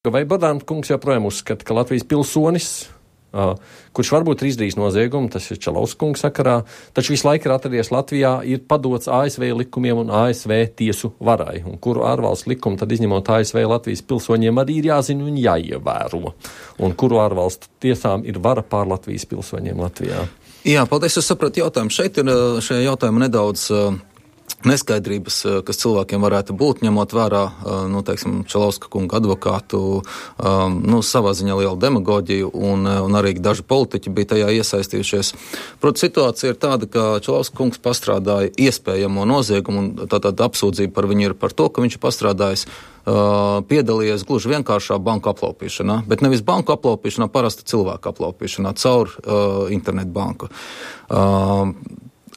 Vai Bordāna kungs joprojām uzskata, ka Latvijas pilsonis, kurš varbūt ir izdarījis noziegumu, tas ir Čalauskunga sakarā, taču visu laiku ir atradies Latvijā, ir padots ASV likumiem un ASV tiesu varai, un kuru ārvalstu likumu tad izņemot ASV Latvijas pilsoņiem arī ir jāzina un jāievēro, un kuru ārvalstu tiesām ir vara pār Latvijas pilsoņiem Latvijā? Jā, paldies, es sapratu jautājumu. Šeit ir šajā jautājumā nedaudz neskaidrības, kas cilvēkiem varētu būt, ņemot vērā, Čalauska kunga advokātu, savā ziņā lielu demagoģiju, un arī daži politiķi bija tajā iesaistījušies. Proti, situācija ir tāda, ka Čalauska kungs pastrādāja iespējamo noziegumu, un tātad apsūdzība par viņu ir par to, ka viņš ir pastrādājis, piedalījies gluži vienkāršā banku aplaupīšanā, bet nevis banku aplaupīšanā, parasta cilvēku aplaupīšanā caur internetu banku.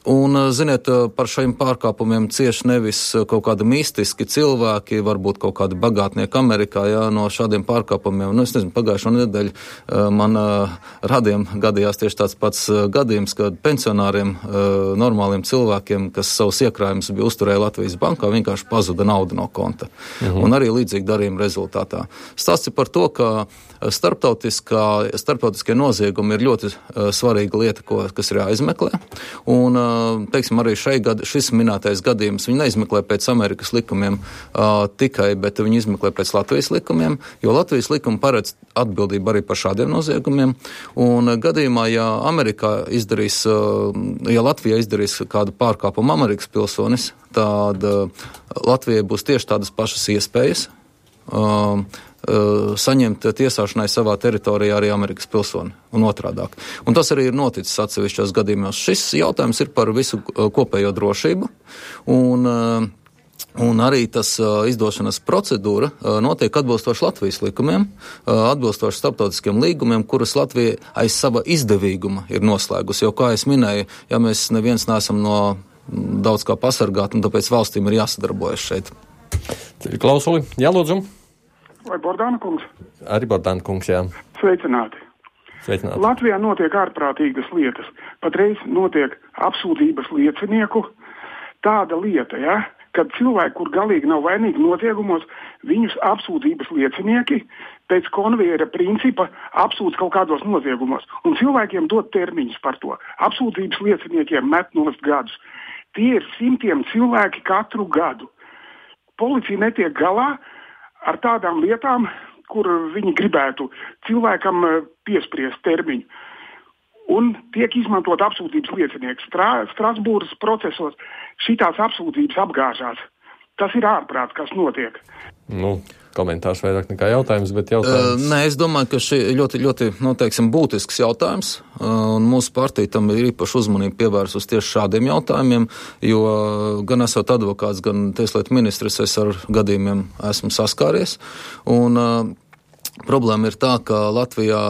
Un, ziniet, par šiem pārkāpumiem cieši nevis kaut kādi mistiski cilvēki, varbūt kaut kādi bagātnieki Amerikā, no šādiem pārkāpumiem. Es nezinu, pagājušo nedēļu man radiem gadījās tieši tāds pats gadījums, kad pensionāriem, normāliem cilvēkiem, kas savus iekrājumus bija uzturēja Latvijas bankā, vienkārši pazuda nauda no konta. Un arī līdzīgi darījuma rezultātā. Stāsts ir par to, ka starptautiskie noziegumi ir ļoti svarīga lieta, kas ir jāizmeklē. Un, teiksim, arī šis minētais gadījums, viņi neizmeklē pēc Amerikas likumiem tikai, bet viņi izmeklē pēc Latvijas likumiem, jo Latvijas likuma paredz atbildību arī par šādiem noziegumiem. Un gadījumā, ja Latvijā izdarīs kādu pārkāpumu Amerikas pilsonis, tad Latvijai būs tieši tādas pašas iespējas saņemt tiesāšanai savā teritorijā arī Amerikas pilsoni un otrādāk. Un tas arī ir noticis atsevišķos gadījumos. Šis jautājums ir par visu kopējo drošību, un arī tas izdošanas procedūra notiek atbilstoši Latvijas likumiem, atbilstoši starptautiskiem līgumiem, kuras Latvija aiz sava izdevīguma ir noslēgusi. Jo, kā es minēju, ja mēs neviens neesam no daudz kā pasargāt, un tāpēc valstīm ir jāsadarbojas šeit. Klausuli, jālūdzu. Vai Bordāna kungs? Arī Bordāna kungs, jā. Sveicināti. Latvijā notiek ārprātīgas lietas. Patreiz notiek apsūdzības liecinieku tāda lieta, kad cilvēki, kur galīgi nav vainīgi noziegumos, viņus apsūdzības liecinieki pēc konvejera principa apsūdz kaut kādos noziegumos. Un cilvēkiem dod termiņus par to. Apsūdzības lieciniekiem met nost gadus. Tie ir 100 cilvēki katru gadu. Policija netiek galā ar tādām lietām, kur viņi gribētu cilvēkam piespriest termiņu. Un tiek izmantot apsūdzības liecinieks. Strasbūras procesos šitās apsūdzības apgāžās. Tas ir ārprāts, kas notiek. Komentārs vairāk nekā jautājums, bet jautājums. Nē, es domāju, ka šī ļoti būtisks jautājums, un mūsu partija tam ir īpaši uzmanību pievērsus tieši šādiem jautājumiem, jo gan esot advokāts, gan tieslietu ministrs, es ar gadījumiem esmu saskāries, un problēma ir tā, ka Latvijā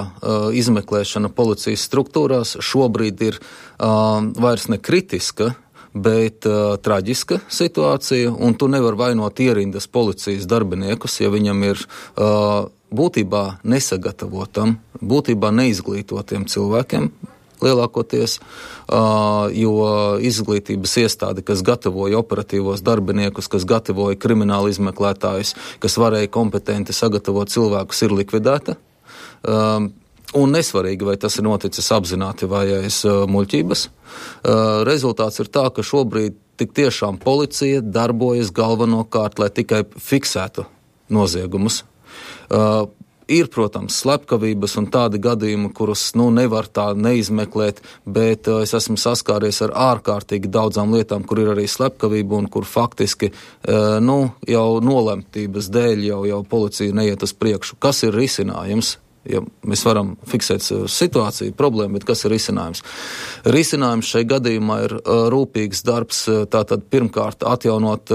izmeklēšana policijas struktūrās šobrīd ir vairs ne kritiska, bet traģiska situācija, un tu nevar vainot ierindas policijas darbiniekus, ja viņam ir būtībā nesagatavotam, būtībā neizglītotiem cilvēkiem lielākoties, jo izglītības iestāde, kas gatavoja operatīvos darbiniekus, kas gatavoja kriminālu izmeklētājus, kas varēja kompetenti sagatavot cilvēkus, ir likvidēta. Un nesvarīgi, vai tas ir noticis apzināti vai aiz muļķības. Rezultāts ir tā, ka šobrīd tik tiešām policija darbojas galvenokārt, lai tikai fiksētu noziegumus. Ir, protams, slepkavības un tādi gadījumi, kurus nevar tā neizmeklēt, bet es esmu saskāries ar ārkārtīgi daudzām lietām, kur ir arī slepkavība un kur faktiski jau nolemtības dēļ jau policija neiet uz priekšu. Kas ir risinājums? Ja mēs varam fiksēt situāciju, problēmu, bet kas ir risinājums? Risinājums šai gadījumā ir rūpīgs darbs, tātad pirmkārt atjaunot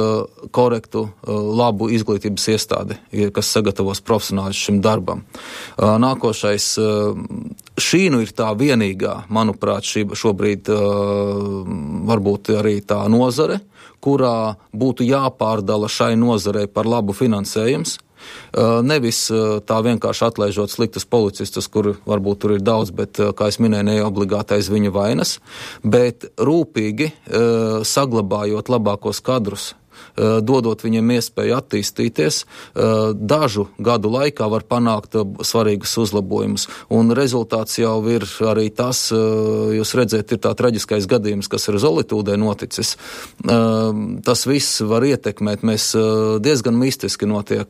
korektu, labu izglītības iestādi, kas sagatavos profesionāļus šim darbam. Nākošais, šī ir tā vienīgā, manuprāt, šobrīd varbūt arī tā nozare, kurā būtu jāpārdala šai nozarei par labu finansējums. Nevis tā vienkārši atlaižot sliktus policistus, kur varbūt tur ir daudz, bet, kā es minēju, neobligāti aiz viņa vainas, bet rūpīgi saglabājot labākos kadrus, dodot viņiem iespēju attīstīties, dažu gadu laikā var panākt svarīgus uzlabojumus. Un rezultāts jau ir arī tas, jūs redzēt, ir tā traģiskais gadījums, kas ir Zolitūdē noticis. Tas viss var ietekmēt. Mēs diezgan mistiski notiek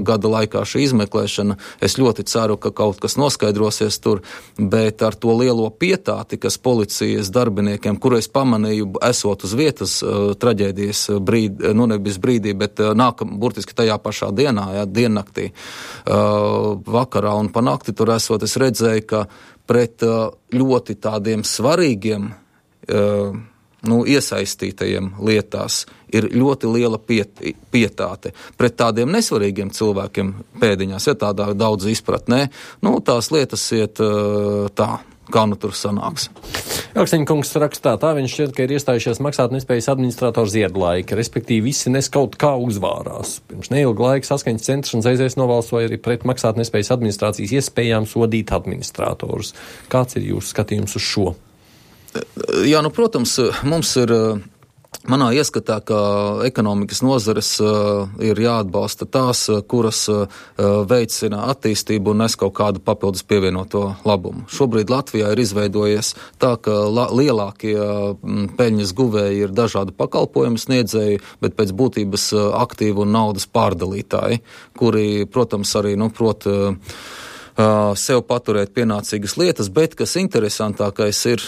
gada laikā šī izmeklēšana. Es ļoti ceru, ka kaut kas noskaidrosies tur, bet ar to lielo pietāti, kas policijas darbiniekiem, kuru es pamanīju, esot uz vietas traģēdijas brīdī, nevis brīdī, bet burtiski tajā pašā dienā, diennaktī, vakarā un panakti tur esot, es redzēju, ka pret ļoti tādiem svarīgiem iesaistītajiem lietās ir ļoti liela pietāte. Pret tādiem nesvarīgiem cilvēkiem pēdiņās, ja tādā daudz izpratnē, tās lietas iet tā, kā tur sanāks. Elksteņa kungs rakstā, tā viņš šķiet, ka ir iestājušies maksātnespējas administratoru Ziedlaika, respektīvi visi nes kaut kā uzvārās. Pirms neilga laika Saskaņas centrs un Zeizēs nobalsoja arī pret maksātnespējas administrācijas iespējām sodīt administratorus. Kāds ir jūsu skatījums uz šo? Jā, protams, mums ir manā ieskatā, ka ekonomikas nozares ir jāatbalsta tās, kuras veicina attīstību un nes kaut kādu papildus pievienoto labumu. Šobrīd Latvijā ir izveidojies tā, ka lielākie peļņas guvēji ir dažādu pakalpojumu sniedzēji, bet pēc būtības aktīvu un naudas pārdalītāji, kuri, protams, arī, prot sev paturēt pienācīgas lietas, bet kas interesantākais ir,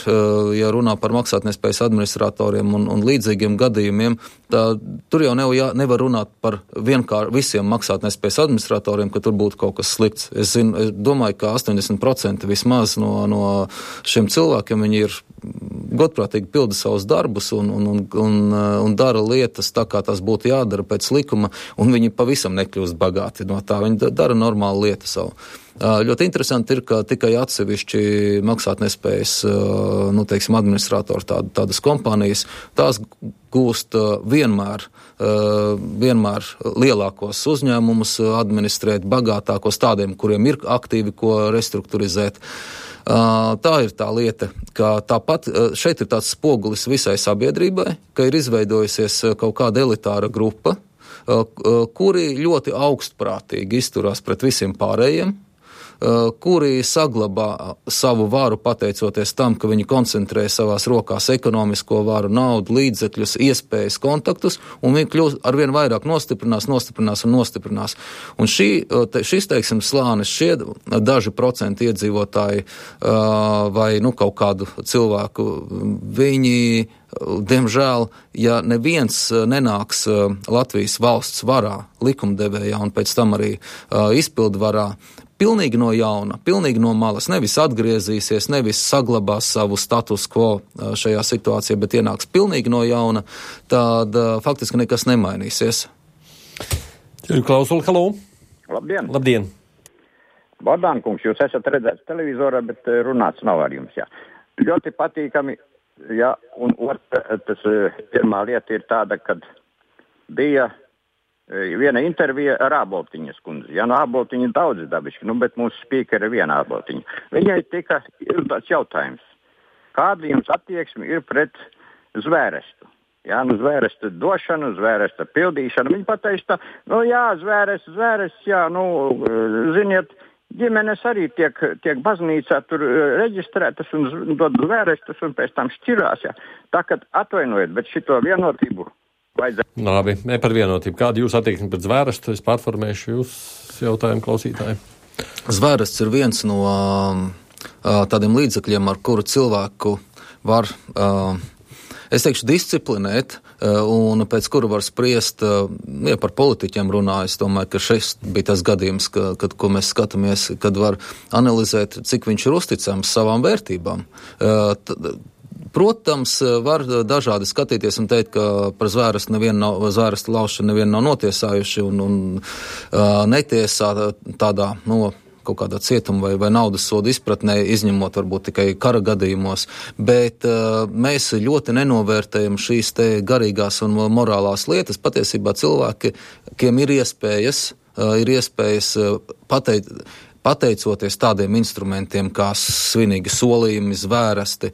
ja runā par maksātnespējas administratoriem un līdzīgiem gadījumiem, tur jau nevar runāt par visiem maksātnespējas administratoriem, ka tur būtu kaut kas slikts. Es domāju, ka 80% vismaz no šiem cilvēkiem viņi ir godprātīgi pilda savus darbus un dara lietas tā, kā tas būtu jādara pēc likuma, un viņi pavisam nekļūst bagāti no tā. Viņi dara normālu lietu savu. Ļoti interesanti ir, ka tikai atsevišķi maksātnespējas, administratori tādas kompānijas, tās gūst vienmēr lielākos uzņēmumus administrēt, bagātākos tādiem, kuriem ir aktīvi ko restruktūrizēt. Tā ir tā lieta, ka tāpat šeit ir tāds spogulis visai sabiedrībai, ka ir izveidojusies kaut kāda elitāra grupa, kuri ļoti augstprātīgi izturās pret visiem pārējiem, kuri saglabā savu varu pateicoties tam, ka viņi koncentrē savās rokās ekonomisko varu, naudu, līdzekļus, iespējas, kontaktus, un viņi kļūst arvien vairāk nostiprinās. Un šis, teiksim, slānis šie daži procenti iedzīvotāji vai kaut kādu cilvēku, viņi, diemžēl, ja neviens nenāks Latvijas valsts varā, likumdevējā un pēc tam arī izpildu varā, pilnīgi no jauna, pilnīgi no malas, nevis atgriezīsies, nevis saglabās savu status quo šajā situācijā, bet ienāks pilnīgi no jauna, tad faktiski nekas nemainīsies. Klausuli, halo! Labdien! Labdien! Bordānkungs, jūs esat redzēts televizorā, bet runāts nav ar jums, jā. Ļoti patīkami, jā, un pirmā lieta ir tāda, kad bija viena intervija ar Āboltiņas kundzi. Jā, Āboltiņa daudz dabišķi, bet mūsu spīkeri ir viena Āboltiņa. Viņai tika uzdots jautājums, kāda jums attieksme ir pret zvērestu? Jā, zvēresta došanu, zvēresta pildīšanu. Viņa pateica, zvērests, jā, ziniet, ģimenes arī tiek baznīcā tur reģistrētas un dod zvērestus un pēc tam šķirās, jā. Tā, kad atvainojiet, bet šito vienotību vajadzētu. Labi, ne par vienotību. Kāda jūs attieksme pret zvērestu? Es pārformēšu jūs jautājumu klausītāju. Zvērests ir viens no tādiem līdzekļiem, ar kuru cilvēku var, es teikšu, disciplinēt, un pēc kura var spriest, ja par politiķiem runāju, es domāju, ka šis bija tas gadījums, ko mēs skatāmies, kad var analizēt, cik viņš ir uzticams savām vērtībām. Protams, var dažādi skatīties un teikt, ka par zvēresta laušanu nevienu nav notiesājuši un netiesā tādā, kaut kādā cietuma vai naudas soda izpratnē, izņemot varbūt tikai kara gadījumos, bet mēs ļoti nenovērtējam šīs te garīgās un morālās lietas. Patiesībā cilvēkiem ir iespējas pateikt, pateicoties tādiem instrumentiem kā svinīgi solījumi, zvērsti,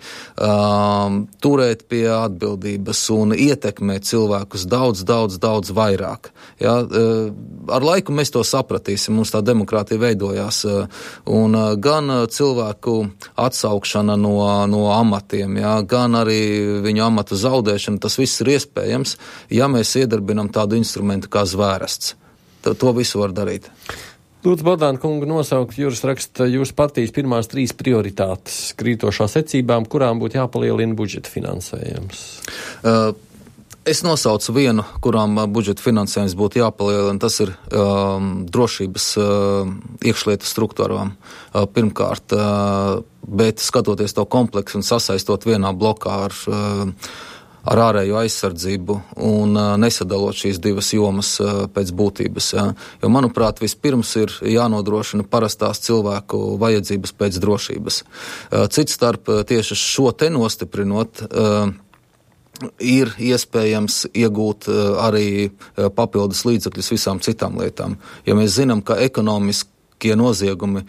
turēt pie atbildības un ietekmēt cilvēkus daudz vairāk. Ja, ar laiku mēs to sapratīsim, mums tā demokrātija veidojās, un gan cilvēku atsaukšana no amatiem, ja, gan arī viņu amatu zaudēšana, tas viss ir iespējams, ja mēs iedarbinam tādu instrumentu kā zvērsts. To visu var darīt. Lūdzu, Bogdāna kunga nosaukt, Juris raksta, jūsu partijas pirmās 3 prioritātes krītošā secībām, kurām būtu jāpalielina budžeta finansējums. Es nosaucu vienu, kurām budžeta finansējums būtu jāpalielina, tas ir drošības iekšlietu struktūrām pirmkārt, bet skatoties to kompleksu un sasaistot vienā blokā ar ārējo aizsardzību un nesadalot šīs divas jomas pēc būtības. Ja. Jo, manuprāt, vispirms ir jānodrošina parastās cilvēku vajadzības pēc drošības. Cits starp tieši šo te nostiprinot, ir iespējams iegūt arī papildus līdzekļus visām citām lietām. Ja mēs zinām, ka ekonomiskie noziegumi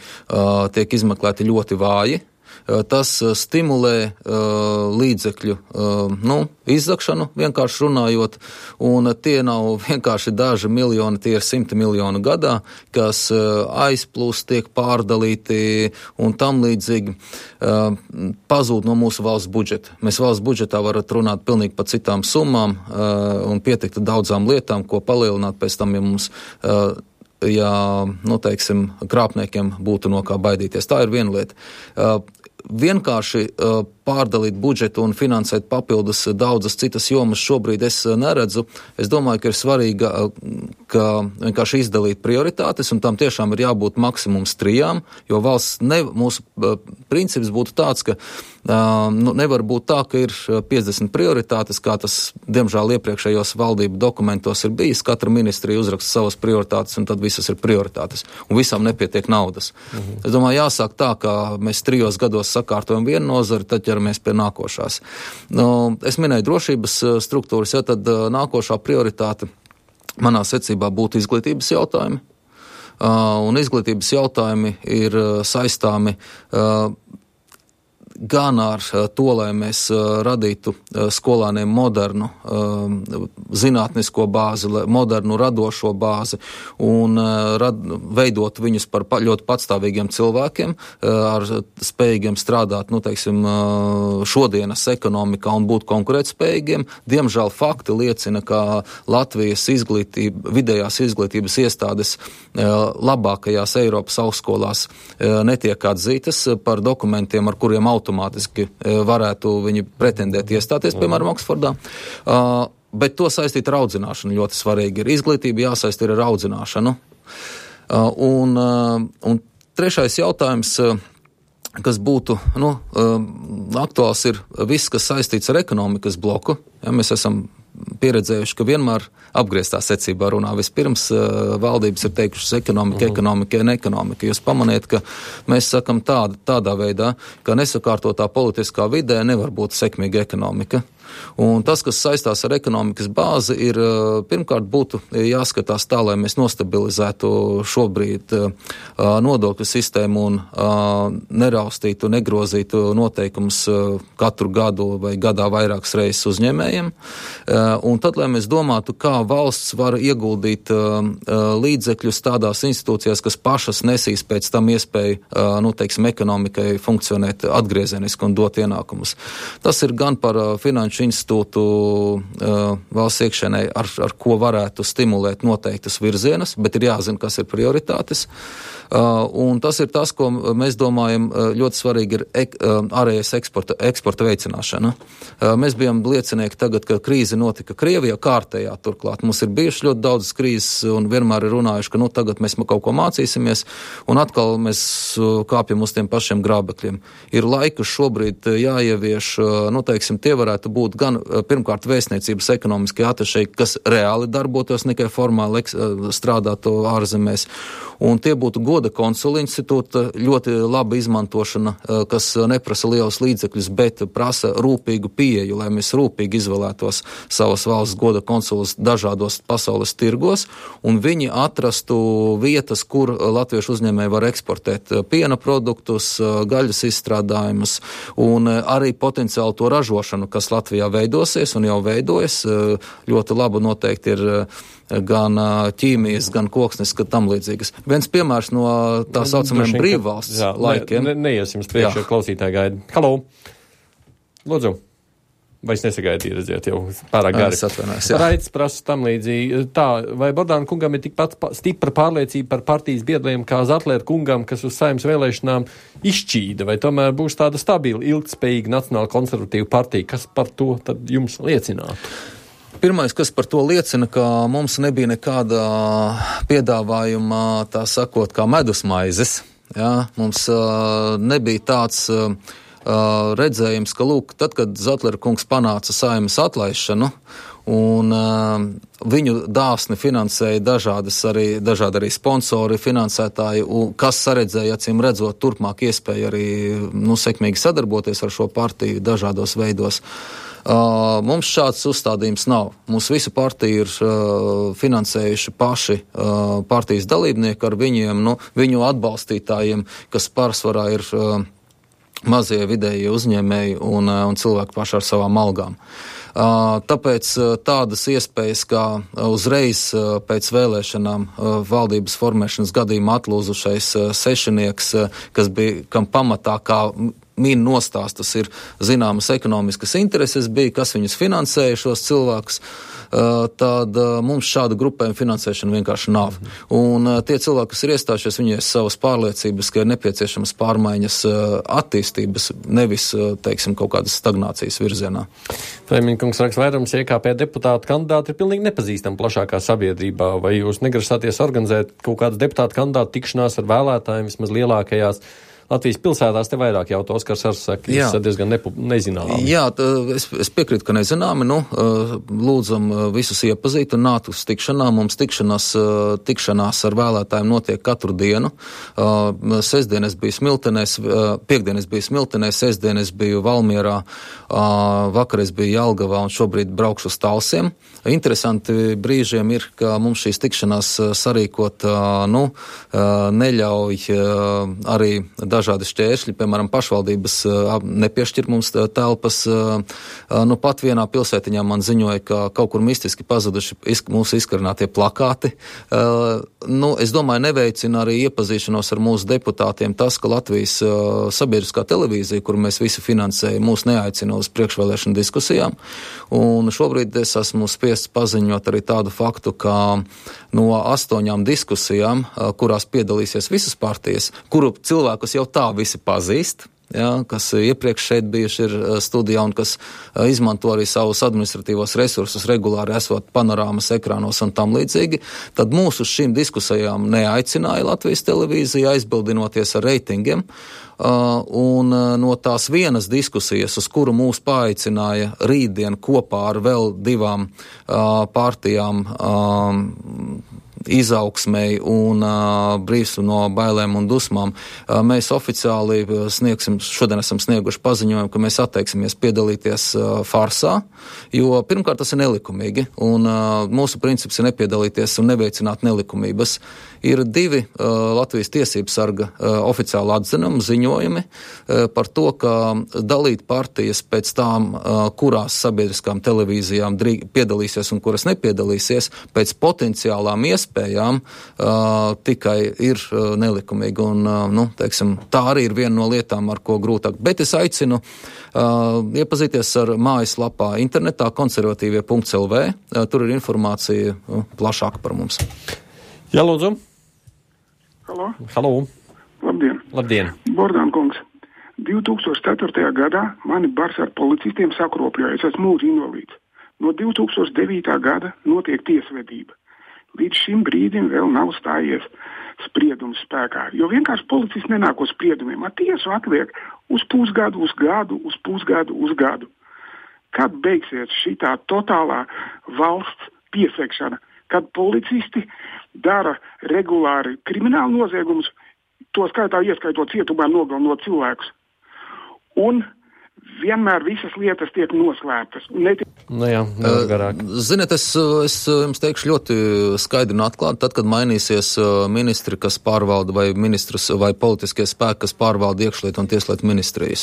tiek izmeklēti ļoti vāji, tas stimulē līdzekļu izzakšanu, vienkārši runājot, un tie nav vienkārši daži miljoni, tie ir 100 miljoni gadā, kas aizplūst, tiek pārdalīti un tam līdzīgi pazūd no mūsu valsts budžeta. Mēs valsts budžetā varat runāt pilnīgi par citām summām un pietikt daudzām lietām, ko palielināt pēc tam, ja mums krāpniekiem būtu no kā baidīties. Tā ir viena lieta. Vienkārši pārdalīt budžetu un finansēt papildus daudzas citas jomas šobrīd es neredzu. Es domāju, ka ir svarīgi, ka vienkārši izdalīt prioritātes, un tam tiešām ir jābūt maksimums 3, jo mūsu princips būtu tāds, ka nevar būt tā, ka ir 50 prioritātes, kā tas, diemžēl, iepriekšējos valdību dokumentos ir bijis. Katra ministrija uzraksta savas prioritātes, un tad visas ir prioritātes, un visām nepietiek naudas. Es domāju, jāsāk tā, ka mēs 3 gados sakārtojam vienu nozari, tad ķeramies pie nākošās. Es minēju drošības struktūras, ja tad nākošā prioritāte manā secībā būtu izglītības jautājumi. Un izglītības jautājumi ir saistāmi gan ar to, lai mēs radītu skolāniem modernu zinātnisko bāzi, modernu radošo bāzi un veidot viņus par ļoti patstāvīgiem cilvēkiem, ar spējīgiem strādāt, šodienas ekonomikā un būt konkurētspējīgiem. Diemžēl fakti liecina, ka Latvijas vidējās izglītības iestādes labākajās Eiropas augstskolās netiek atzītas par dokumentiem, ar kuriem automātiski varētu viņi pretendēt iestāties, piemēram, Oksfordā. Bet to saistīt ar audzināšanu ļoti svarīgi ir. Izglītība jāsaist ir ar audzināšanu. Un trešais jautājums, kas būtu aktuāls, ir viss, kas saistīts ar ekonomikas bloku. Ja, mēs esam pieredzējuši, ka vienmēr apgrieztā secībā runā. Vispirms valdības ir teikušas ekonomika un ekonomika. Jūs pamaniet, ka mēs sakam tādā veidā, ka nesakārtotā politiskā vidē nevar būt sekmīga ekonomika. Un tas, kas saistās ar ekonomikas bāzi, ir pirmkārt būtu jāskatās tā, lai mēs nostabilizētu šobrīd nodokļu sistēmu un neraustītu, negrozītu noteikumus katru gadu vai gadā vairākas reizes uzņēmējiem. Un tad, lai mēs domātu, kā valsts var ieguldīt līdzekļus tādās institūcijās, kas pašas nesīs pēc tam iespēju, ekonomikai funkcionēt atgriezeniski un dot ienākumus. Tas ir gan par finanšu institūtu valsts iekšēnē, ar ko varētu stimulēt noteiktas virzienus, bet ir jāzina, kas ir prioritātes. Un tas ir tas, ko mēs domājam ļoti svarīgi ir ārējais eksporta veicināšana. Mēs bijām liecinieki tagad, ka krīze notika Krievijā kārtējā turklāt. Mums ir bijuši ļoti daudz krīzes un vienmēr ir runājuši, ka tagad mēs kaut ko mācīsimies un atkal mēs kāpjam uz tiem pašiem grābekļiem. Ir laiks šobrīd jāievieš, tie varētu būt būtu gan pirmkārt vēstniecības ekonomiskie atašeji, kas reāli darbotos, nekai formāli strādātu ārzemēs. Un tie būtu goda konsula institūta, ļoti laba izmantošana, kas neprasa lielus līdzekļus, bet prasa rūpīgu pieeju, lai mēs rūpīgi izvēlētos savas valsts goda konsulus dažādos pasaules tirgos, un viņi atrastu vietas, kur latviešu uzņēmēji var eksportēt piena produktus, gaļas izstrādājumus, un arī potenciāli to ražošanu, kas Latvijā veidosies un jau veidojas. Ļoti laba noteikti ir gan ķīmijas, gan koksnes, gan tam līdzīgas. Viens piemērs no tā saucamajiem brīvvalsts laikiem. Neiesim priekšā, klausītāji gaida. Halo! Lūdzu! Vai es nesagaidīju, redziet, jau pārāk gari. Raits prasa tam līdzīgi. Tā, vai Bordāna kungam ir tikpat stipra pārliecība par partijas biedriem kā Zatlera kungam, kas uz Saeimas vēlēšanām izšķīda, vai tomēr būs tāda stabila, ilgtspējīga nacionāla konservatīva partija? Kas par to tad jums liecinātu? Pirmais, kas par to liecina, ka mums nebija nekāda piedāvājuma, tā sakot, kā medusmaizes. Ja? Mums nebija tāds redzējums, ka, lūk, tad, kad Zatlera kungs panāca Saeimas atlaišanu, un viņu dāsni finansēja dažādi arī sponsori, finansētāji, kas saredzēja, acīm redzot, turpmāk iespēju arī sekmīgi sadarboties ar šo partiju dažādos veidos. Mums šāds uzstādījums nav. Mums visu partiju ir finansējuši paši partijas dalībnieki ar viņiem, viņu atbalstītājiem, kas pārsvarā ir mazie vidējie uzņēmēji un cilvēki paši ar savām algām. Tāpēc tādas iespējas, kā uzreiz pēc vēlēšanām valdības formēšanas gadījumā atlūzušais sešinieks, kam pamatā kā min nostāstas ir zināmas ekonomiskas intereses bija, kas viņus finansēja šos cilvēkus, tad mums šāda grupējuma finansēšana vienkārši nav. Un tie cilvēki, kas ir iestājušies, viņi ir savas pārliecības, ka ir nepieciešamas pārmaiņas attīstības, nevis, teiksim, kaut kādas stagnācijas virzienā. Freiminkungs raksta, vairums IKP deputātu kandidāti ir pilnīgi nepazīstami plašākā sabiedrībā. Vai jūs negrasāties organizēt kaut kādas deputātu kandidātu tikšanās ar vēlētājiem vismaz lielākajās Latvijas pilsētās? Te vairāk jautā Oskars Arsaka, diezgan nezināmi. Jā, es piekrītu, ka nezināmi. Lūdzam visus iepazīt un nākt uz tikšanām. Mums tikšanās ar vēlētājiem notiek katru dienu. Sestdien es biju Smiltenēs, piekdien es biju Smiltenēs, sestdien es biju Valmierā, vakar es biju Jelgavā un šobrīd braukšu uz Talsiem. Interesanti brīžiem ir, ka mums šīs tikšanās sarīkot, neļauj arī dažādi šķēršļi, piemēram, pašvaldības nepiešķir mums telpas. Pat vienā pilsētiņā man ziņoja, ka kaut kur mistiski pazuduši mūsu izkarinātie plakāti. Es domāju, neveicina arī iepazīšanos ar mūsu deputātiem tas, ka Latvijas sabiedriskā televīzija, kuru mēs visi finansējam, mūs neaicina uz priekšvēlēšanu diskusijām. Un šobrīd es esmu spiests paziņot arī tādu faktu, ka no 8 diskusijām, kurās piedalīsies visas partijas, kuru cilvēkus jau tā visi pazīst, kas iepriekš šeit bijuši ir studijā un kas izmanto arī savus administratīvos resursus regulāri esot panorāmas ekrānos un tam līdzīgi, tad mūs uz šīm diskusijām neaicināja Latvijas televīzija, aizbildinoties ar reitingiem. Un no tās vienas diskusijas, uz kuru mūs paaicināja rītdien kopā ar vēl 2 partijām, izaugsmei un brīvs no bailēm un dusmām, mēs oficiāli šodien esam snieguši paziņojumu, ka mēs atteiksimies piedalīties farsā, jo pirmkārt tas ir nelikumīgi, un mūsu princips ir nepiedalīties un neveicināt nelikumības. Ir 2 Latvijas tiesības sarga oficiāli atzinumi, ziņojumi par to, ka dalīt partijas pēc tām, kurās sabiedriskām televīzijām piedalīsies un kuras nepiedalīsies, pēc potenciālām iespējām tikai ir nelikumīgi. Un, tā arī ir viena no lietām, ar ko grūtāk. Bet es aicinu iepazīties ar mājaslapā internetā konservatīvie.lv. Tur ir informācija plašāka par mums. Jā, lūdzu. Halo. Labdien. Bordāna kungs, 2004. gadā mani bars ar policistiem sakropļoja, es esmu mūža invalīds. No 2009. gada notiek tiesvedība. Līdz šim brīdim vēl nav stājies spriedums spēkā, jo vienkārši policists nenāk uz spriedumiem. Tiesu atliek uz pusgadu, uz gadu, uz pusgadu, uz gadu. kad beigsies šitā totālā valsts piesegšana, kad policisti dara regulāri kriminālu noziegumus, to skaitā ieskaitot cietumā nogalinot cilvēkus. Un vienmēr visas lietas tiek noslēptas. Ziniet, es jums teikšu ļoti skaidri un atklāti, tad, kad mainīsies ministri, kas pārvalda, vai ministrs vai politiskie spēki, kas pārvalda iekšlietu un tieslietu ministrijas.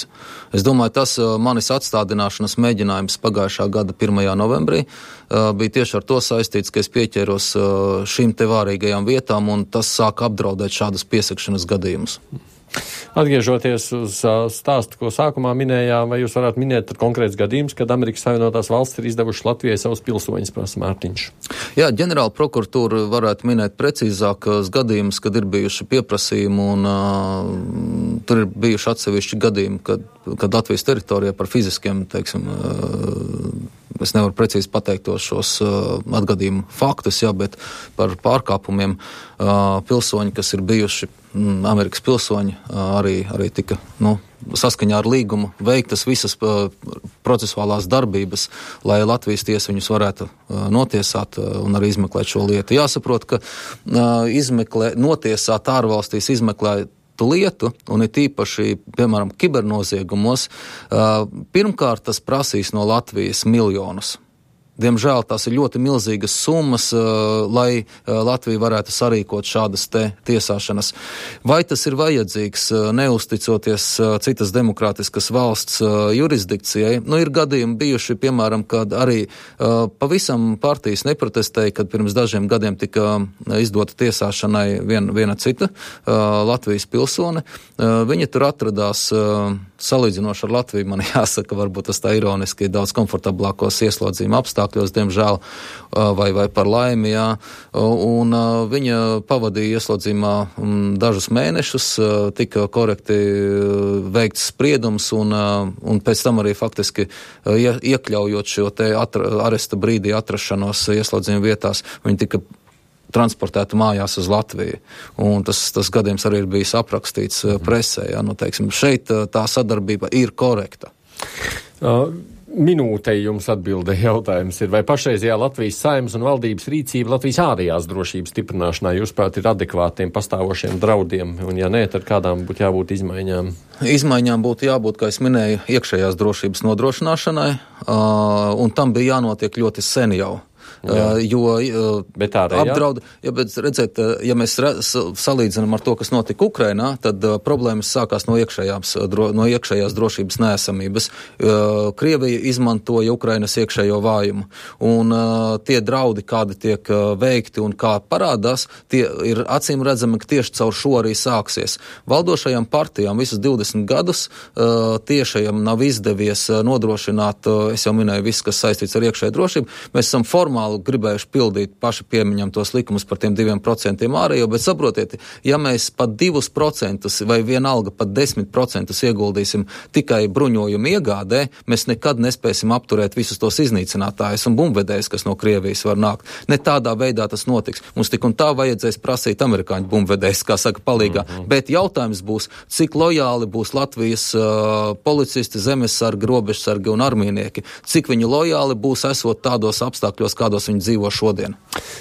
Es domāju, tas manis atstādināšanas mēģinājums pagājušā gada 1. novembrī bija tieši ar to saistīts, ka es pieķēros šīm te vārīgajām vietām, un tas sāk apdraudēt šādas piesakšanas gadījumus. Atgriežoties uz stāstu, ko sākumā minējām, vai jūs varētu minēt konkrēts gadījums, kad Amerikas Savienotās valstis ir izdevuši Latvijai savus pilsoņus, prasa Mārtiņš? Jā, ģenerāla prokuratūra varētu minēt precīzākos gadījumus, kad ir bijuši pieprasījumi, un tur ir bijuši atsevišķi gadījumi, kad Latvijas teritorijā par fiziskiem, teiksim, es nevaru precīzi pateikt šos atgadījumu faktus, jā, bet par pārkāpumiem pilsoņi, kas ir bijuši Amerikas pilsoņi, arī tika, saskaņā ar līgumu veiktas visas procesuālās darbības, lai Latvijas tiesa viņus varētu notiesāt un arī izmeklēt šo lietu. Jāsaprot, ka notiesāt ārvalstīs izmeklētu lietu, un ir tīpaši, piemēram, kibernoziegumos, pirmkārt tas prasīs no Latvijas miljonus. Diemžēl tās ir ļoti milzīgas summas, lai Latvija varētu sarīkot šādas tiesāšanas. Vai tas ir vajadzīgs, neusticoties citas demokrātiskas valsts jurisdikcijai? Ir gadījumi bijuši, piemēram, kad arī pavisam partijas neprotestēja, kad pirms dažiem gadiem tika izdota tiesāšanai viena cita Latvijas pilsone. Viņa tur atradās salīdzinoši ar Latviju, man jāsaka, varbūt tas tā ironiski, daudz komfortablākos ieslodzījuma apstākļos, diemžēl, vai par laimi, jā. Un viņa pavadīja ieslodzījumā dažus mēnešus, tika korekti veikts spriedums, un pēc tam arī faktiski iekļaujot šo te aresta brīdī atrašanos ieslodzījuma vietās, viņa tika transportēta mājās uz Latviju. Un tas gadījums arī ir bijis aprakstīts presē. Ja? Teiksim, šeit tā sadarbība ir korekta. Minūtei jums atbilde jautājums ir, vai pašreizajā Latvijas Saeimas un valdības rīcība Latvijas ārējās drošības stiprināšanā, jūsuprāt, ir adekvātiem pastāvošiem draudiem? Un ja nē, tad kādām būtu jābūt izmaiņām? Izmaiņām būtu jābūt, kā es minēju, iekšējās drošības nodrošināšanai, un tam bija jānotiek ļoti sen jau. Apdraud, bet redziet, ja mēs salīdzinām ar to, kas notika Ukrainā, tad problēmas sākās no iekšējās drošības neesamības. Krievija izmantoja Ukrainas iekšējo vājumu, un tie draudi, kādi tiek veikti un kā parādās, tie ir acīm redzami, ka tieši caur šo arī sāksies. Valdošajām partijām visus 20 gadus tiešajam nav izdevies nodrošināt, es jau minēju, viss, kas saistīts ar iekšēju drošību. Mēs esam formāli gribējuši pildīt paši piemiņam tos likumus par tiem 2% ārējo, bet saprotiet, ja mēs pat 2% vai vienalga pat 10% ieguldīsim tikai bruņojumu iegādē, mēs nekad nespēsim apturēt visus tos iznīcinātājus un bumbvedējus, kas no Krievijas var nākt. Ne tādā veidā tas notiks. Mums tik un tā vajadzēs prasīt amerikāņu bumbvedējus, kā saka, palīgā. Bet jautājums būs, cik lojāli būs Latvijas policisti, zemesargi, robežsargi un armijnieki. Cik viņi lojāli būs esot tādos apstākļos, kādos viņi dzīvo šodien.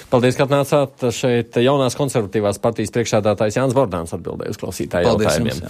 Paldies, ka atnācāt šeit. Jaunās konservatīvās partijas priekšsēdētājs Jānis Bordāns atbildēja uz klausītāju jautājumiem.